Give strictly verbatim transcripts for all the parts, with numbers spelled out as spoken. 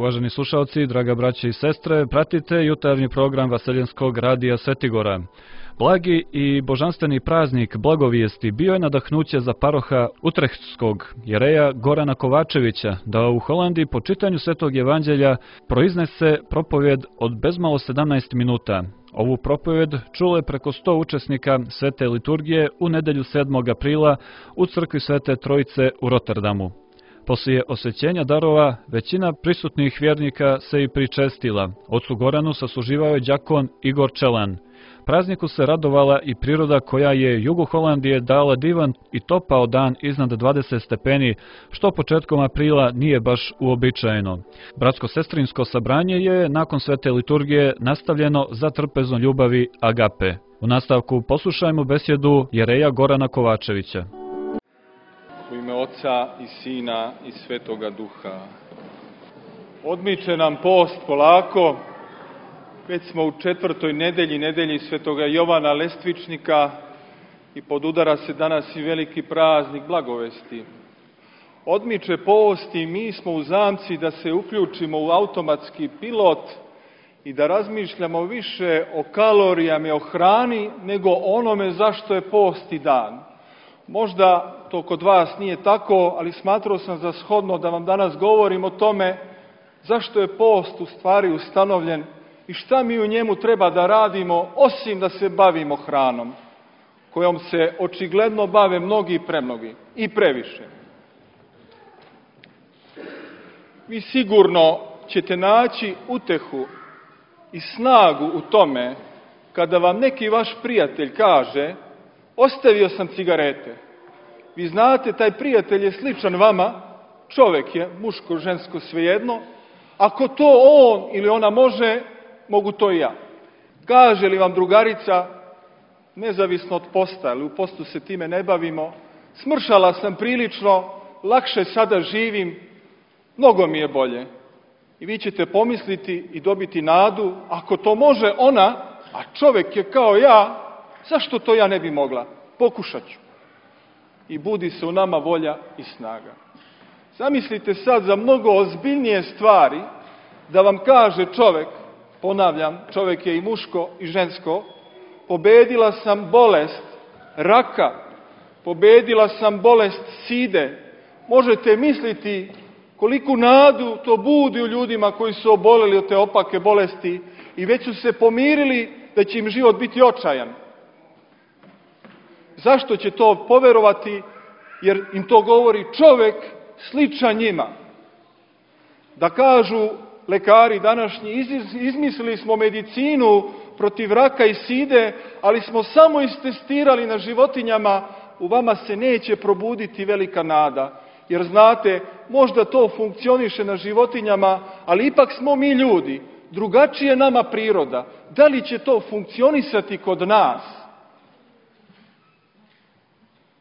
Uvaženi slušalci, draga braće i sestre, pratite jutarnji program Vaseljenskog radija Svetigora. Blagi i božanstveni praznik Blagovijesti bio je nadahnuće za paroha Utrehtskog jereja Gorana Kovačevića da u Holandiji po čitanju Svetog evanđelja proiznese propovjed od bezmalo sedamnaest minuta. Ovu propovjed čulo je preko sto učesnika Svete liturgije u nedelju sedmog aprila u crkvi Svete Trojice u Rotterdamu. Poslije osvećenja darova, većina prisutnih vjernika se i pričestila. Ocu Goranu sasluživao je đakon Igor Čelan. Prazniku se radovala i priroda koja je jugu Holandije dala divan i topao dan iznad dvadeset stepeni, što početkom aprila nije baš uobičajeno. Bratsko-sestrinsko sabranje je nakon svete liturgije nastavljeno za trpezom ljubavi agape. U nastavku poslušajmo besjedu jereja Gorana Kovačevića. U ime Oca i Sina i Svetoga Duha. Odmiče nam post polako. Već smo u četvrtoj nedelji, nedelji Svetoga Jovana Lestvičnika i podudara se danas i veliki praznik Blagovesti. Odmiče post i mi smo u zamci da se uključimo u automatski pilot i da razmišljamo više o kalorijama i o hrani nego onome zašto je post i dan. Možda to kod vas nije tako, ali smatrao sam za shodno da vam danas govorim o tome zašto je post u stvari ustanovljen i šta mi u njemu treba da radimo, osim da se bavimo hranom, kojom se očigledno bave mnogi i premnogi, i previše. Vi sigurno ćete naći utehu i snagu u tome kada vam neki vaš prijatelj kaže: ostavio sam cigarete. Vi znate, taj prijatelj je sličan vama, čovjek je, muško, žensko, svejedno. Ako to on ili ona može, mogu to i ja. Kaže li vam drugarica, nezavisno od posta, ali u postu se time ne bavimo, smršala sam prilično, lakše sada živim, mnogo mi je bolje. I vi ćete pomisliti i dobiti nadu, ako to može ona, a čovjek je kao ja, zašto to ja ne bi mogla? Pokušat ću. I budi se u nama volja i snaga. Zamislite sad za mnogo ozbiljnije stvari da vam kaže čovjek, ponavljam, čovjek je i muško i žensko, pobedila sam bolest raka, pobedila sam bolest side. Možete misliti koliku nadu to budi u ljudima koji su oboleli od te opake bolesti i već su se pomirili da će im život biti očajan. Zašto će to poverovati? Jer im to govori čovjek sličan njima. Da kažu lekari današnji, izmislili smo medicinu protiv raka i side, ali smo samo istestirali na životinjama, u vama se neće probuditi velika nada. Jer znate, možda to funkcioniše na životinjama, ali ipak smo mi ljudi, drugačije nama priroda. Da li će to funkcionisati kod nas?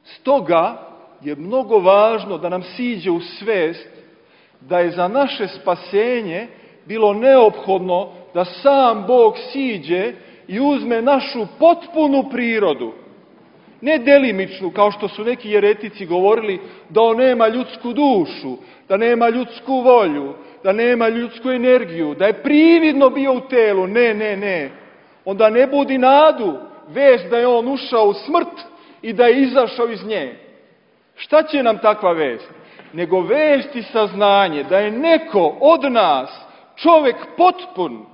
Stoga je mnogo važno da nam siđe u svest da je za naše spasenje bilo neophodno da sam Bog siđe i uzme našu potpunu prirodu. Ne delimičnu, kao što su neki jeretici govorili, da on nema ljudsku dušu, da nema ljudsku volju, da nema ljudsku energiju, da je prividno bio u telu. Ne, ne, ne. Onda ne budi nadu, vest da je on ušao u smrt i da je izašao iz nje. Šta će nam takva vest? Nego vest i saznanje da je neko od nas, čovjek potpun,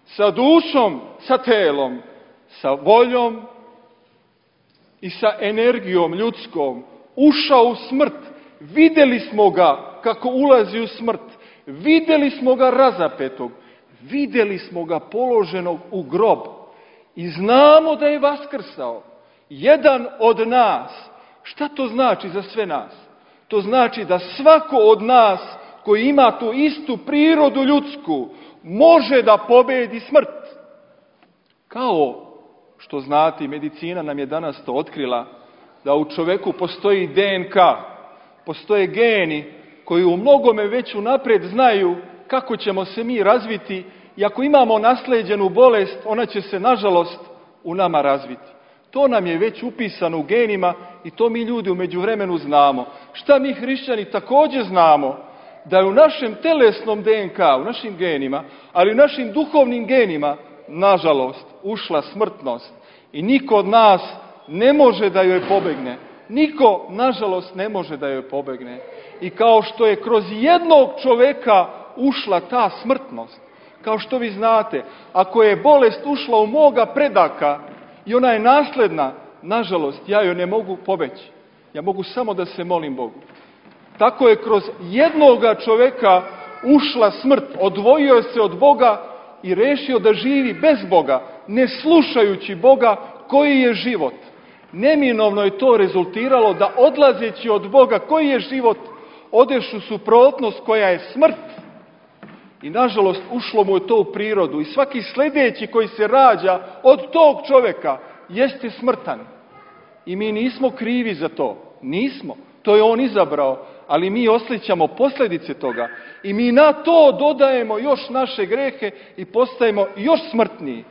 sa dušom, sa telom, sa voljom i sa energijom ljudskom, ušao u smrt. Vidjeli smo ga kako ulazi u smrt. Vidjeli smo ga razapetog. Vidjeli smo ga položenog u grob. I znamo da je vaskrsao. Jedan od nas. Šta to znači za sve nas? To znači da svako od nas koji ima tu istu prirodu ljudsku može da pobedi smrt. Kao što znate, medicina nam je danas to otkrila, da u čovjeku postoji D N K, postoje geni koji u mnogome već unaprijed znaju kako ćemo se mi razviti i ako imamo naslijeđenu bolest, ona će se nažalost u nama razviti. To nam je već upisano u genima i to mi ljudi u međuvremenu znamo. Šta mi hrišćani također znamo? da je u našem telesnom D N K, u našim genima, ali u našim duhovnim genima, nažalost, ušla smrtnost. I niko od nas ne može da joj pobegne. Niko, nažalost, ne može da joj pobegne. I kao što je kroz jednog čoveka ušla ta smrtnost, kao što vi znate, ako je bolest ušla u moga predaka i ona je nasledna, nažalost, ja joj ne mogu pobeći. Ja mogu samo da se molim Bogu. Tako je kroz jednoga čoveka ušla smrt, odvojio se od Boga i rešio da živi bez Boga, ne slušajući Boga koji je život. Neminovno je to rezultiralo da odlazeći od Boga koji je život, odeš u suprotnost koja je smrt. I nažalost ušlo mu je to u prirodu i svaki sljedeći koji se rađa od tog čoveka jeste smrtan. I mi nismo krivi za to. Nismo. To je on izabrao, ali mi osjećamo posljedice toga. I mi na to dodajemo još naše grehe i postajemo još smrtniji.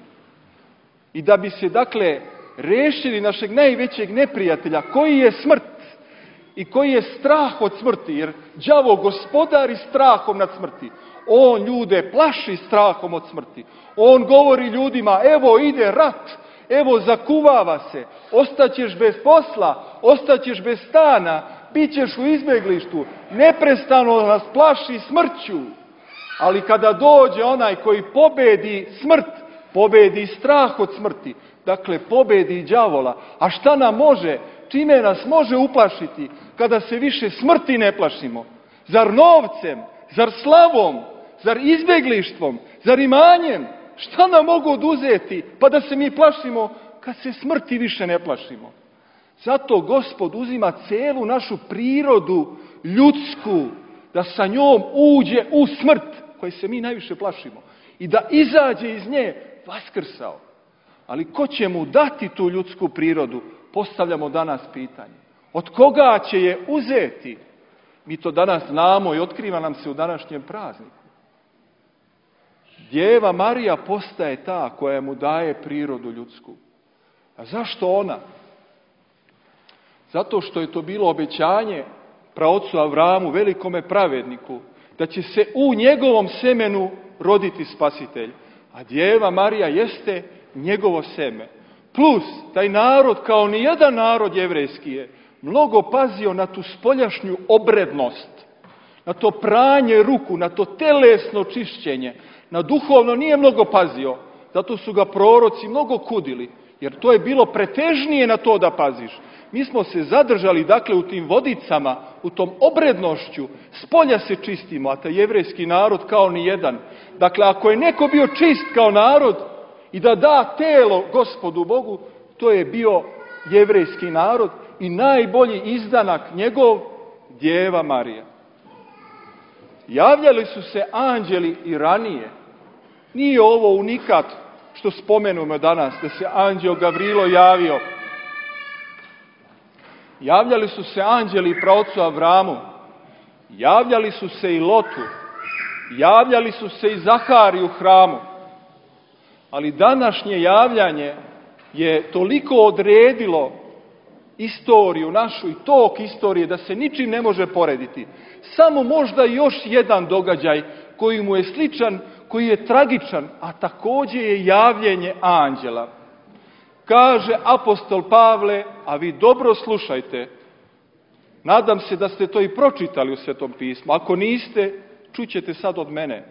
I da bi se, dakle, rešili našeg najvećeg neprijatelja, koji je smrt i koji je strah od smrti, jer đavo gospodari strahom nad smrti. On ljude plaši strahom od smrti. On govori ljudima, evo ide rat, evo zakuvava se, ostaćeš bez posla, ostaćeš bez stana, bit ćeš u izbjeglištu, neprestano nas plaši smrću. Ali kada dođe onaj koji pobedi smrt, pobedi strah od smrti, dakle pobedi đavola. A šta nam može, čime nas može uplašiti kada se više smrti ne plašimo? Zar novcem, zar slavom, zar izbjeglištvom, zar imanjem? Šta nam mogu oduzeti pa da se mi plašimo kad se smrti više ne plašimo? Zato Gospod uzima celu našu prirodu ljudsku, da sa njom uđe u smrt, koje se mi najviše plašimo, i da izađe iz nje vaskrsao. Ali ko će mu dati tu ljudsku prirodu? Postavljamo danas pitanje. Od koga će je uzeti? Mi to danas znamo i otkriva nam se u današnjem prazniku. Djeva Marija postaje ta koja mu daje prirodu ljudsku. A zašto ona? Zato što je to bilo obećanje praocu Avramu, velikome pravedniku, da će se u njegovom semenu roditi spasitelj. A Djeva Marija jeste njegovo seme. Plus, taj narod, kao ni jedan narod jevrejski, je mnogo pazio na tu spoljašnju obrednost, na to pranje ruku, na to telesno čišćenje. Na duhovno nije mnogo pazio, zato su ga proroci mnogo kudili, jer to je bilo pretežnije na to da paziš. Mi smo se zadržali, dakle, u tim vodicama, u tom obrednošću, spolja se čistimo, a taj jevrejski narod kao ni jedan. Dakle, ako je neko bio čist kao narod i da da telo Gospodu Bogu, to je bio jevrejski narod i najbolji izdanak njegov, Djeva Marija. Javljali su se anđeli i ranije. Nije ovo unikat što spomenemo danas, da se anđeo Gavrilo javio. Javljali su se anđeli praocu Avramu, javljali su se i Lotu, javljali su se i Zahariju u hramu. Ali današnje javljanje je toliko odredilo istoriju našu i tok istorije da se ničim ne može porediti. Samo možda još jedan događaj koji mu je sličan, koji je tragičan, a također je javljenje anđela. Kaže apostol Pavle, a vi dobro slušajte, nadam se da ste to i pročitali u Svetom pismu, ako niste, čućete sad od mene.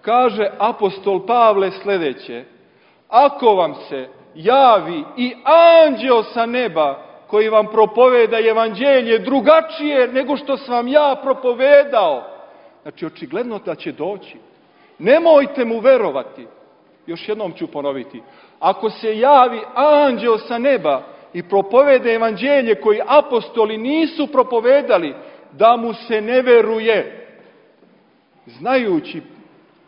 Kaže apostol Pavle sljedeće, ako vam se javi i anđeo sa neba koji vam propoveda evanđelje drugačije nego što sam vam ja propovedao, znači očigledno da će doći. Nemojte mu verovati. Još jednom ću ponoviti. Ako se javi anđeo sa neba i propovede evanđelje koji apostoli nisu propovedali, da mu se ne veruje. Znajući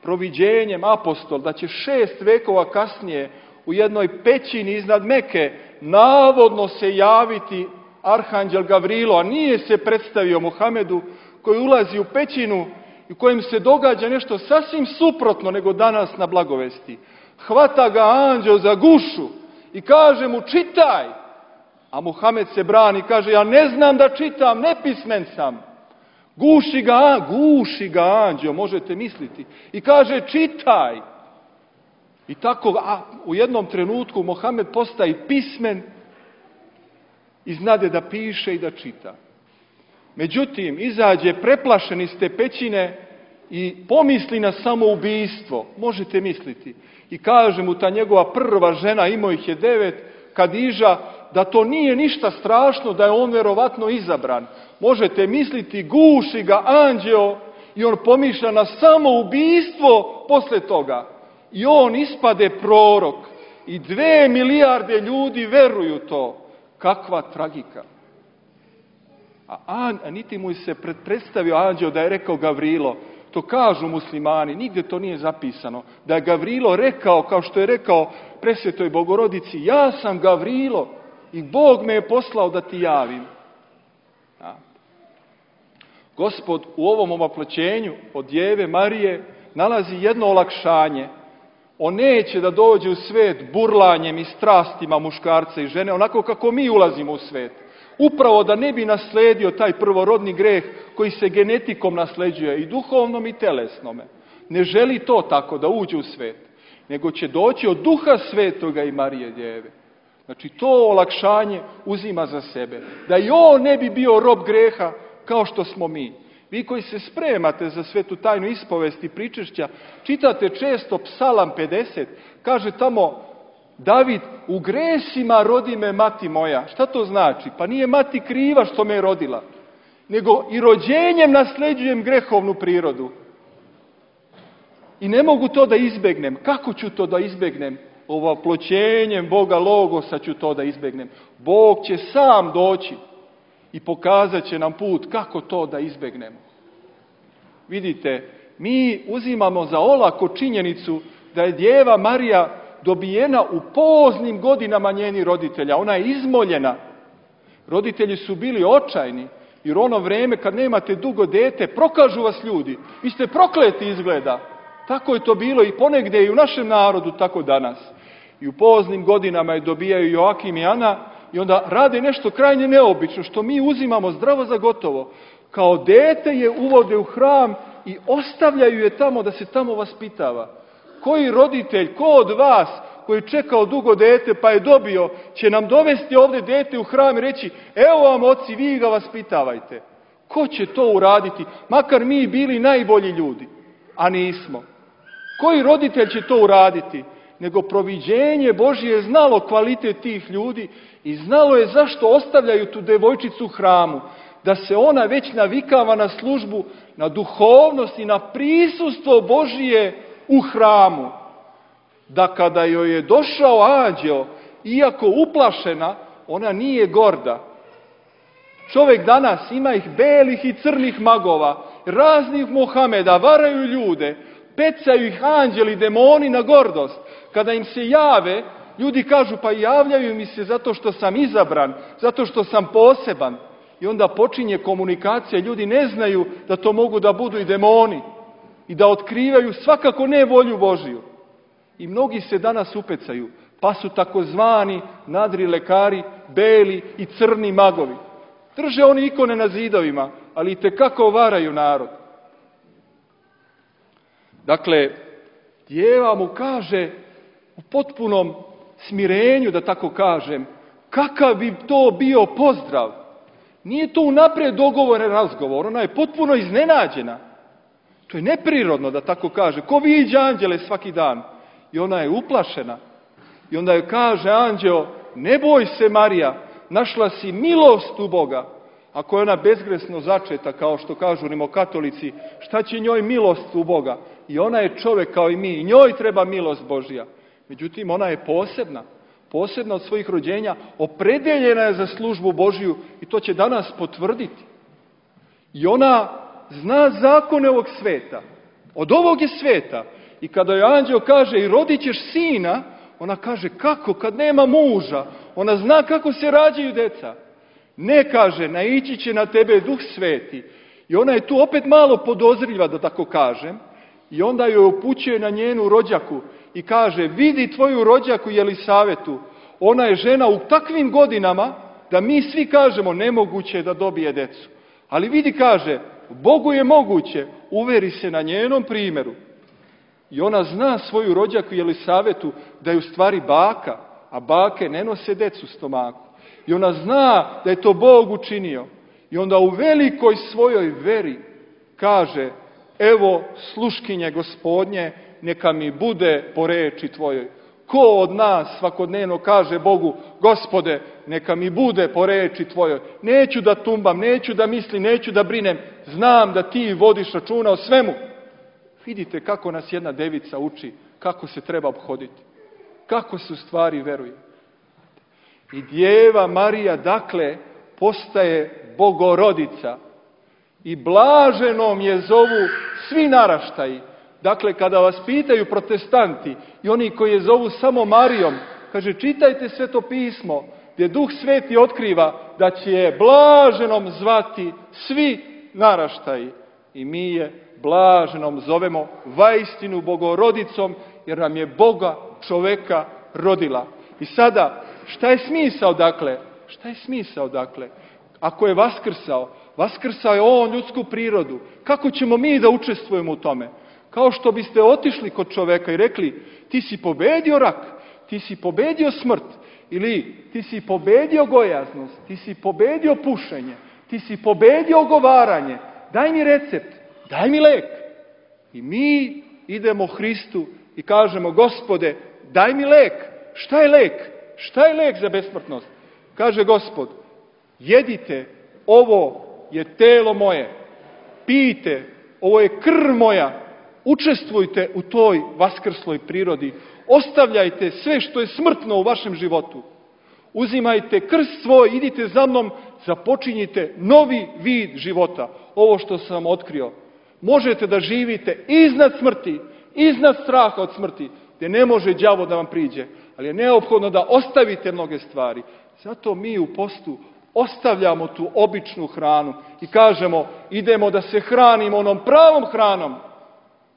proviđenjem apostol da će šest vekova kasnije u jednoj pećini iznad Meke navodno se javiti arhanđel Gavrilo, a nije se predstavio Muhamedu, koji ulazi u pećinu i u kojem se događa nešto sasvim suprotno nego danas na blagovesti. Hvata ga anđeo za gušu i kaže mu čitaj, a Muhamed se brani i kaže ja ne znam da čitam, nepismen sam. Guši ga, guši ga anđeo, možete misliti. I kaže, čitaj. I tako, a u jednom trenutku Mohamed postaje pismen i znade da piše i da čita. Međutim, izađe preplašen iz te pećine i pomisli na samoubistvo. Možete misliti. I kaže mu ta njegova prva žena, imao ih je devet, Kadiža, da to nije ništa strašno, da je on vjerovatno izabran. Možete misliti, guši ga anđeo i on pomišlja na samoubistvo posle toga. I on ispade prorok i dve milijarde ljudi veruju to. Kakva tragika. A, an, a niti mu se predstavio anđeo da je rekao Gavrilo. To kažu muslimani, nigdje to nije zapisano. Da je Gavrilo rekao, kao što je rekao presvetoj Bogorodici, ja sam Gavrilo i Bog me je poslao da ti javim. A. Gospod u ovom omaploćenju od Djeve Marije nalazi jedno olakšanje. On neće da dođe u svet burlanjem i strastima muškarca i žene, onako kako mi ulazimo u svet. Upravo da ne bi nasledio taj prvorodni greh koji se genetikom nasleđuje i duhovnom i telesnome. Ne želi to tako da uđe u svet, nego će doći od Duha Svetoga i Marije Djeve. Znači to olakšanje uzima za sebe. Da i on ne bi bio rob greha kao što smo mi. Vi koji se spremate za svetu tajnu ispovesti i pričešća, čitate često Psalam pedeset, kaže tamo David, u gresima rodi me mati moja. Šta to znači? Pa nije mati kriva što me je rodila, nego i rođenjem nasleđujem grehovnu prirodu. I ne mogu to da izbegnem. Kako ću to da izbegnem? Ovoploćenjem Boga Logosa ću to da izbegnem. Bog će sam doći i pokazat će nam put kako to da izbegnemo. Vidite, mi uzimamo za olako činjenicu da je Djeva Marija dobijena u poznim godinama njenih roditelja. Ona je izmoljena. Roditelji su bili očajni, jer ono vreme kad nemate dugo dete, prokažu vas ljudi. Vi ste prokleti izgleda. Tako je to bilo i ponegdje i u našem narodu, tako danas. I u poznim godinama je dobijaju Joakim i Ana i onda rade nešto krajnje neobično, što mi uzimamo zdravo za gotovo. Kao dete je uvode u hram i ostavljaju je tamo da se tamo vaspitava. Koji roditelj, ko od vas koji je čekao dugo dete pa je dobio, će nam dovesti ovdje dete u hram i reći, evo vam oci, vi ga vaspitavajte. Ko će to uraditi? Makar mi bili najbolji ljudi, a nismo. Koji roditelj će to uraditi? Nego proviđenje Božje je znalo kvalitet tih ljudi i znalo je zašto ostavljaju tu devojčicu u hramu. Da se ona već navikava na službu, na duhovnost i na prisustvo Božije u hramu. Da kada joj je došao anđeo, iako uplašena, ona nije gorda. Čovjek danas ima ih belih i crnih magova, raznih Mohameda, varaju ljude, pecaju ih anđeli, demoni na gordost. Kada im se jave, ljudi kažu pa javljaju mi se zato što sam izabran, zato što sam poseban. I onda počinje komunikacija, ljudi ne znaju da to mogu da budu i demoni i da otkrivaju svakako ne volju Božiju. I mnogi se danas upecaju, pa su takozvani nadri lekari, beli i crni magovi. Drže oni ikone na zidovima, ali itekako varaju narod. Dakle, Djeva mu kaže u potpunom smirenju, da tako kažem, kakav bi to bio pozdrav. Nije to unaprijed dogovoren razgovor, ona je potpuno iznenađena. To je neprirodno, da tako kaže. Ko viđa anđele svaki dan? I ona je uplašena. I onda joj kaže anđeo, ne boj se Marija, našla si milost u Boga. Ako je ona bezgresno začeta, kao što kažu rimokatolici, šta će njoj milost u Boga? I ona je čovjek kao i mi, i njoj treba milost Božja. Međutim, ona je posebna. Posebna od svojih rođenja, opredeljena je za službu Božju i to će danas potvrditi. I ona zna zakone ovog sveta. Od ovog je sveta. I kada joj anđeo kaže i rodit ćeš sina, ona kaže kako kad nema muža? Ona zna kako se rađaju deca. Ne kaže, naići će na tebe Duh Sveti. I ona je tu opet malo podozriva, da tako kažem. I onda joj upućuje na njenu rođaku i kaže, vidi tvoju rođaku Jelisavetu. Ona je žena u takvim godinama da mi svi kažemo nemoguće je da dobije decu. Ali vidi, kaže, Bogu je moguće, uveri se na njenom primjeru. I ona zna svoju rođaku Jelisavetu da je u stvari baka, a bake ne nose decu u stomaku. I ona zna da je to Bog učinio. I onda u velikoj svojoj veri kaže, evo sluškinje Gospodnje, neka mi bude po reči tvojoj. Ko od nas svakodnevno kaže Bogu, Gospode, neka mi bude po reči tvojoj. Neću da tumbam, neću da mislim, neću da brinem. Znam da ti vodiš računa o svemu. Vidite kako nas jedna devica uči, kako se treba obhoditi. Kako se u stvari veruje. I Djeva Marija, dakle, postaje Bogorodica. I blaženom je zovu svi naraštaji. Dakle, kada vas pitaju protestanti i oni koji je zovu samo Marijom, kaže, čitajte Sveto pismo, gdje Duh Sveti otkriva da će je blaženom zvati svi naraštaji. I mi je blaženom zovemo vaistinu Bogorodicom, jer nam je Boga čoveka rodila. I sada, šta je smisao dakle? Šta je smisao dakle? Ako je vaskrsao, vaskrsao je on ljudsku prirodu. Kako ćemo mi da učestvujemo u tome? Kao što biste otišli kod čoveka i rekli, ti si pobedio rak, ti si pobedio smrt, ili ti si pobedio gojaznost, ti si pobedio pušenje, ti si pobedio ogovaranje, daj mi recept, daj mi lek. I mi idemo Hristu i kažemo, Gospode, daj mi lek. Šta je lek? Šta je lek za besmrtnost? Kaže Gospod, jedite, ovo je telo moje, pijte, ovo je krv moja, učestvujte u toj vaskrsloj prirodi, ostavljajte sve što je smrtno u vašem životu. Uzimajte krst svoj, idite za mnom, započinjite novi vid života. Ovo što sam vam otkrio. Možete da živite iznad smrti, iznad straha od smrti, gdje ne može đavo da vam priđe. Ali je neophodno da ostavite mnoge stvari. Zato mi u postu ostavljamo tu običnu hranu i kažemo, idemo da se hranimo onom pravom hranom,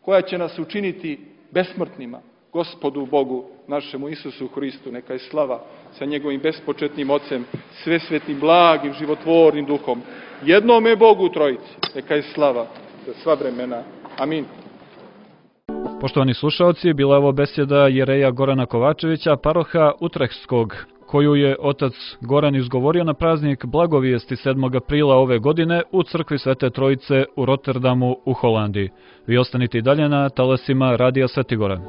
koja će nas učiniti besmrtnima. Gospodu Bogu, našemu Isusu Hristu, neka je slava sa njegovim bespočetnim Ocem, svesvetnim, blagim, životvornim Duhom. Jednome Bogu Trojici, neka je slava za sva vremena. Amin. Poštovani slušaoci, bila je ovo besjeda jereja Gorana Kovačevića, paroha Utrehtskog, koju je otac Goran izgovorio na praznik Blagovijesti sedmog aprila ove godine u crkvi Svete Trojice u Rotterdamu u Holandiji. Vi ostanite i dalje na talasima Radija Svetigora.